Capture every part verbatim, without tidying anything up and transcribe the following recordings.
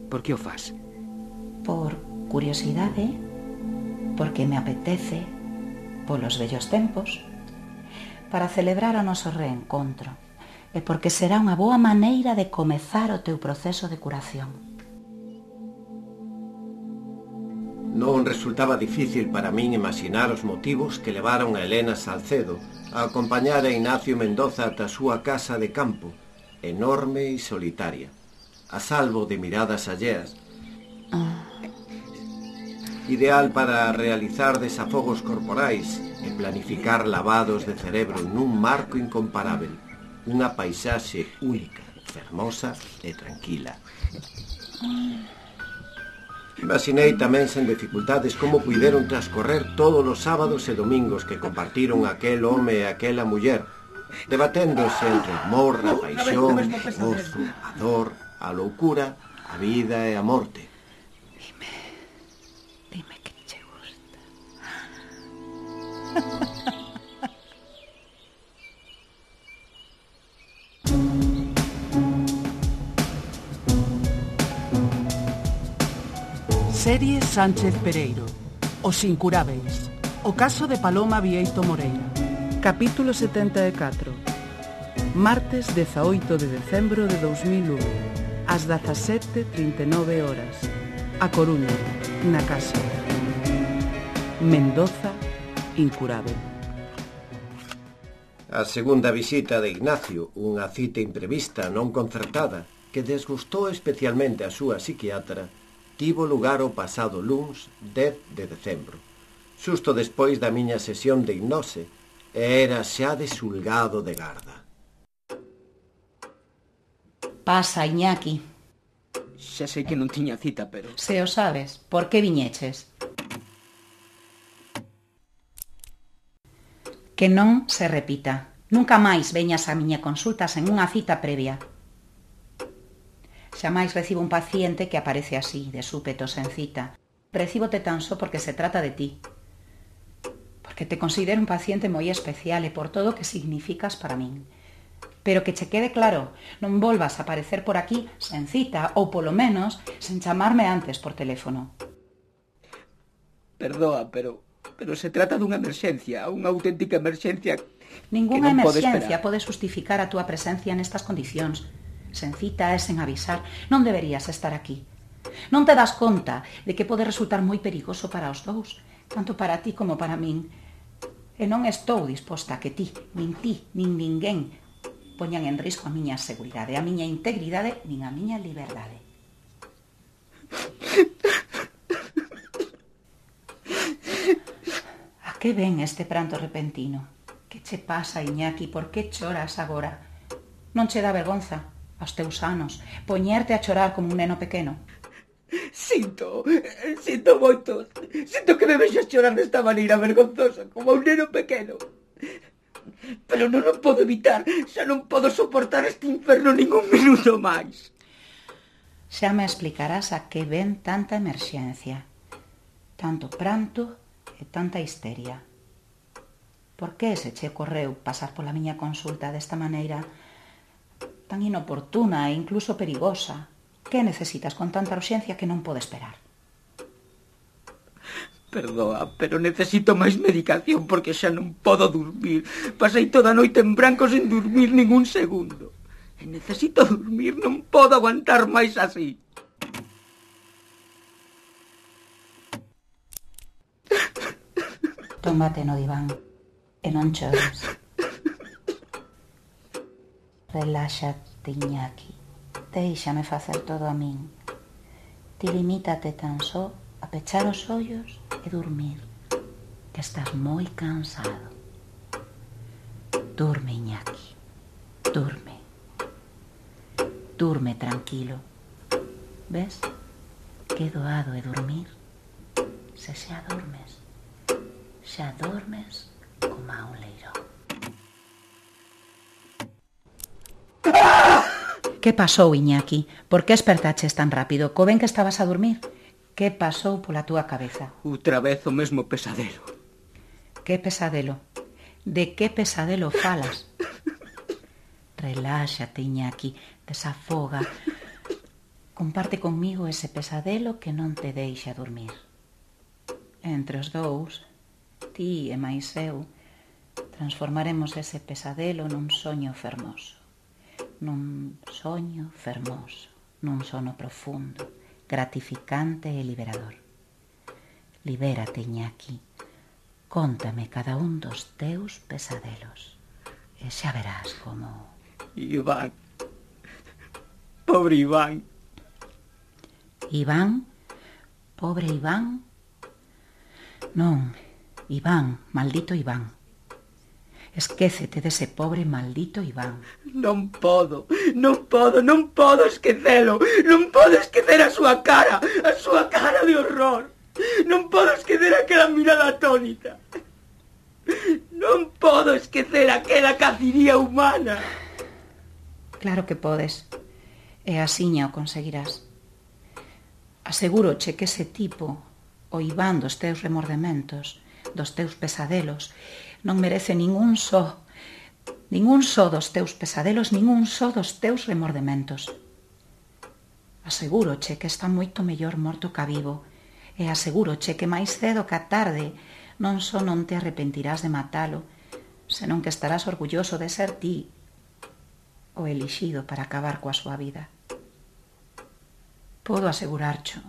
Por que o faz? Por curiosidade, porque me apetece, polos vellos tempos, para celebrar o noso reencontro e porque será unha boa maneira de comezar o teu proceso de curación. Non resultaba difícil para min imaginar os motivos que levaron a Elena Salcedo a acompañar a Ignacio Mendoza ata a súa casa de campo, enorme e solitaria, a salvo de miradas alleas, Ah. ideal para realizar desafogos corporais e planificar lavados de cerebro nun marco incomparável, unha paisaxe única, fermosa e tranquila. Imaginei tamén sen dificultades como puideron transcorrer todos os sábados e domingos que compartiron aquel home e aquela muller, debaténdose entre o amor, a paixón, o gozo, a dor, a loucura, a vida e a morte. Dime, dime que che gusta. Serie Sánchez Pereiro, Os Incurábeis, o caso de Paloma Vieito Moreira. Capítulo setenta e catro. Martes dezaoito de decembro de dous mil un, ás dezasete trinta e nove horas. A Coruña, na casa. Mendoza, incurábel. A segunda visita de Ignacio, unha cita imprevista non concertada, que desgustou especialmente a súa psiquiatra, tivo lugar o pasado luns dez de decembro, xusto despois da miña sesión de hipnose, e era xa de xulgado de garda. Pasa, Iñaki. Xa sei que non tiña cita, pero... Se o sabes, por que viñeches? Que non se repita. Nunca máis veñas a miña consulta sen unha cita previa. Xamais recibo un paciente que aparece así, de súpeto, sen cita. Recíbote tan só porque se trata de ti. Porque te considero un paciente moi especial e por todo o que significas para min. Pero que che quede claro, non volvas a aparecer por aquí sen cita ou, polo menos, sen chamarme antes por teléfono. Perdoa, pero... pero se trata dunha emerxencia, unha auténtica emerxencia... Ninguna emerxencia pode pode justificar a túa presencia nestas condicións. Sen cita e sen avisar, non deberías estar aquí. Non te das conta de que pode resultar moi perigoso para os dous, tanto para ti como para min. E non estou disposta a que ti, nin ti, nin ninguén poñan en risco a miña seguridade, a miña integridade, nin a miña liberdade. A que ven este pranto repentino? Que che pasa, Iñaki? Por que choras agora? Non che dá vergonza, aos teus anos, poñerte a chorar como un neno pequeno? Sinto, sinto moito. Sinto que me vexas chorar desta maneira vergonzosa, como un neno pequeno. Pero non o podo evitar, xa non podo soportar este inferno ningún minuto máis. Xa me explicarás a que ven tanta emerxencia, tanto pranto e tanta histeria. Por que se che ocorreu pasar pola miña consulta desta maneira tan inoportuna e incluso perigosa? Que necesitas con tanta urxencia que non pode esperar? Perdoa, pero necesito máis medicación porque xa non podo dormir. Pasei toda a noite en branco sen dormir ningún segundo. E necesito dormir, non podo aguantar máis así. Tómate no diván e non chores. Reláxate, Iñaki. Déixame facer todo a min. Ti limítate tan só a pechar os ollos e dormir, que estás moi cansado. Durme, Iñaki. Durme. Durme tranquilo. Ves? Que doado é dormir. Se xa dormes, xa dormes como a un leirón. Que pasou, Iñaki? Por que espertaches tan rápido? Co ben que estabas a dormir? Que pasou pola túa cabeza? Outra vez o mesmo pesadelo. Que pesadelo? De que pesadelo falas? Reláxate, Iñaki, desafoga. comparte conmigo ese pesadelo que non te deixa dormir. Entre os dous, ti e máis eu, transformaremos ese pesadelo nun soño fermoso. Nun soño fermoso, nun sono profundo, gratificante e liberador. Libérate, Iñaki. Cóntame cada un dos teus pesadelos. E xa verás como... Iván. Pobre Iván. Iván? Pobre Iván? Non, Iván, maldito Iván. Esquécete dese pobre maldito Iván. Non podo, non podo, non podo esquecelo. Non podo esquecer a súa cara, a súa cara de horror. Non podo esquecer aquela mirada atónita. Non podo esquecer aquela caciría humana. Claro que podes. E asiña o conseguirás. Asegúroche que ese tipo, o Iván dos teus remordementos, dos teus pesadelos, non merece ningún só, ningún só dos teus pesadelos, ningún só dos teus remordementos. Asegúroche que está moito mellor morto ca vivo, e asegúroche que máis cedo ca tarde non só non te arrepentirás de matalo, senón que estarás orgulloso de ser ti o elixido para acabar coa súa vida. Podo asegurarcho,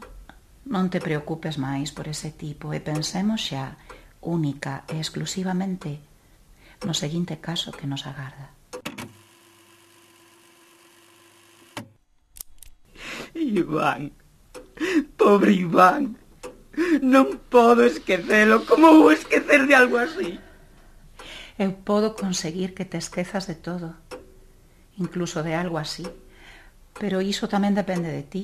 non te preocupes máis por ese tipo e pensemos xa única e exclusivamente no seguinte caso que nos agarda. Iván, pobre Iván, non podo esquecelo. Como vou esquecer de algo así? Eu podo conseguir que te esquezas de todo, incluso de algo así, pero iso tamén depende de ti.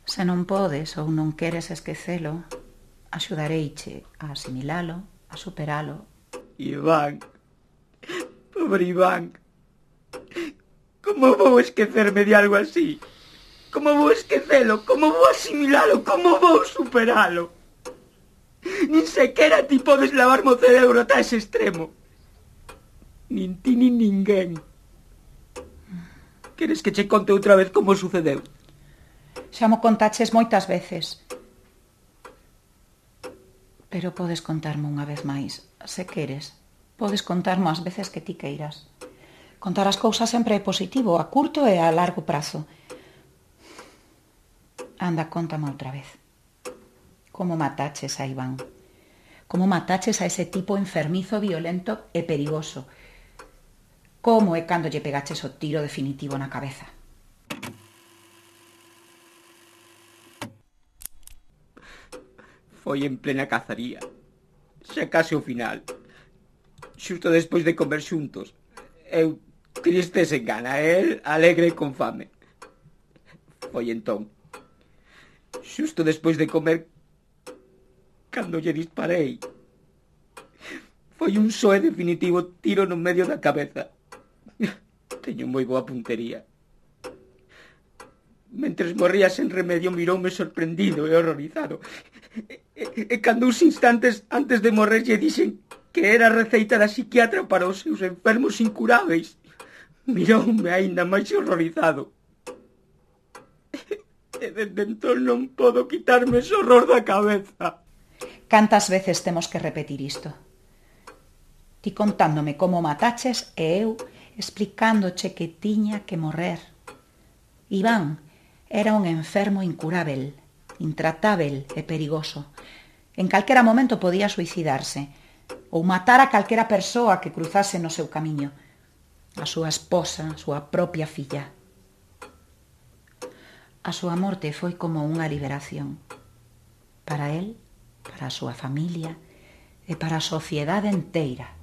Se non podes ou non queres esquecelo, axudareiche a asimilalo, a superalo. Iván, pobre Iván, como vou esquecerme de algo así? Como vou esquecelo? Como vou asimilalo? Como vou superalo? Nin sequera ti podes lavarme o cerebro ata ese extremo. Nin ti nin ninguén. Queres que che conte outra vez como sucedeu? Xa mo contaches moitas veces. Pero podes contarme unha vez máis, se queres. Podes contarme as veces que ti queiras. Contar as cousas sempre é positivo, a curto e a largo prazo. Anda, contame outra vez. Como mataches a Iván? Como mataches a ese tipo enfermizo, violento e perigoso? Como é cando lle pegaches o tiro definitivo na cabeza? Foi en plena cazaría, xa case o final, xusto despois de comer xuntos. Eu triste sen gana, el alegre con fame. Foi entón, xusto despois de comer, cando lle disparei. Foi un só e definitivo tiro no medio da cabeza. Teño moi boa puntería. Mentres morría sen remedio, miroume sorprendido e horrorizado. E, e, e cando uns instantes antes de morrer lle dixen que era a receita da psiquiatra para os seus enfermos incuráveis, miroume aínda máis horrorizado. E desde entón non podo quitarme ese horror da cabeza. Cantas veces temos que repetir isto? Ti contándome como mataches e eu explicándoche que tiña que morrer. Iván era un enfermo incurável, intratável e perigoso. En calquera momento podía suicidarse ou matar a calquera persoa que cruzase no seu camiño, a súa esposa, a súa propia filla. A súa morte foi como unha liberación para él, para a súa familia e para a sociedade inteira.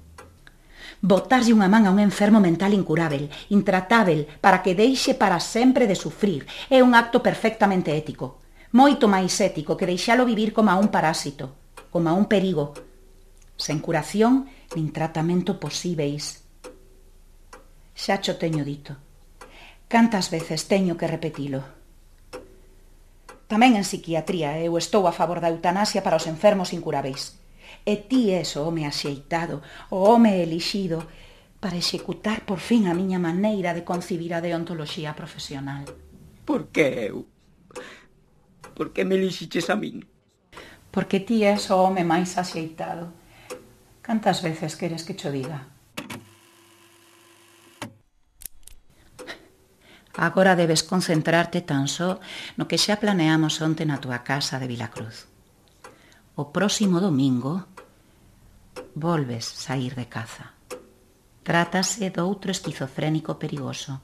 Botarlle unha man a un enfermo mental incurável, intratável, para que deixe para sempre de sufrir, é un acto perfectamente ético. Moito máis ético que deixalo vivir como a un parásito, como a un perigo, sen curación nin tratamento posíveis. Xa cho teño dito. Cantas veces teño que repetilo? Tamén en psiquiatría eu estou a favor da eutanasia para os enfermos incuráveis. E ti és o home axeitado, o home elixido, para executar por fin a miña maneira de concibir a deontoloxía profesional. Por que eu? Por que me elixiches a min? Porque ti és o home máis axeitado. Cantas veces queres que cho diga? Agora debes concentrarte tan só no que xa planeamos onte na túa casa de Vilacruz. O próximo domingo volves saír de caza. Trátase doutro esquizofrénico perigoso.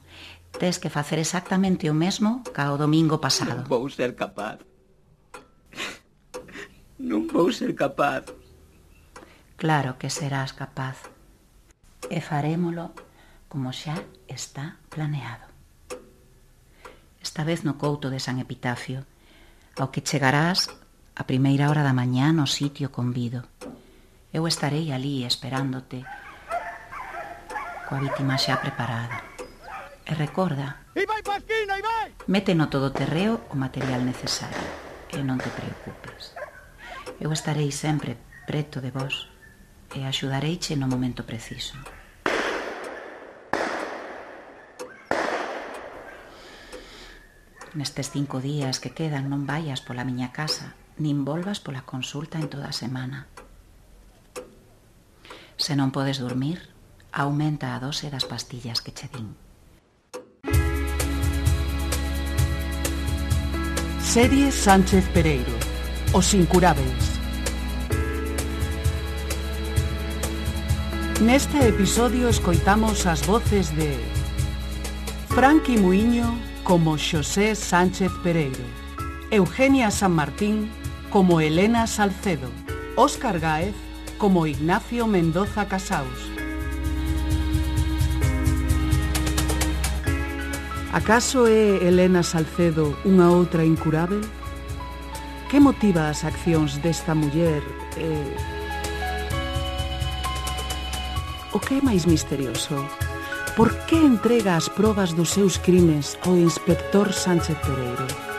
Tes que facer exactamente o mesmo ca o domingo pasado. Non vou ser capaz. Non vou ser capaz. Claro que serás capaz. E farémolo como xa está planeado. Esta vez no couto de San Epitafio, ao que chegarás a primeira hora da mañá no sitio convido. Eu estarei ali esperándote, coa vítima xa preparada. E recorda, mete no todoterreo o material necesario e non te preocupes. Eu estarei sempre preto de vos e axudareiche no momento preciso. Nestes cinco días que quedan non vayas pola miña casa, nin volvas pola consulta en toda a semana. Se non podes dormir, aumenta a dose das pastillas que che din. Serie Sánchez Pereiro, Os Incurábeis. Neste episodio escoitamos as voces de Franqui Muiño como Xosé Sánchez Pereiro, Eugenia San Martín como Elena Salcedo, Óscar Gáez como Ignacio Mendoza Casaus. Acaso é Elena Salcedo unha outra incurábel? Que motiva as accións desta muller e... O que é máis misterioso? Por que entrega as probas dos seus crimes ao inspector Sánchez Pereiro?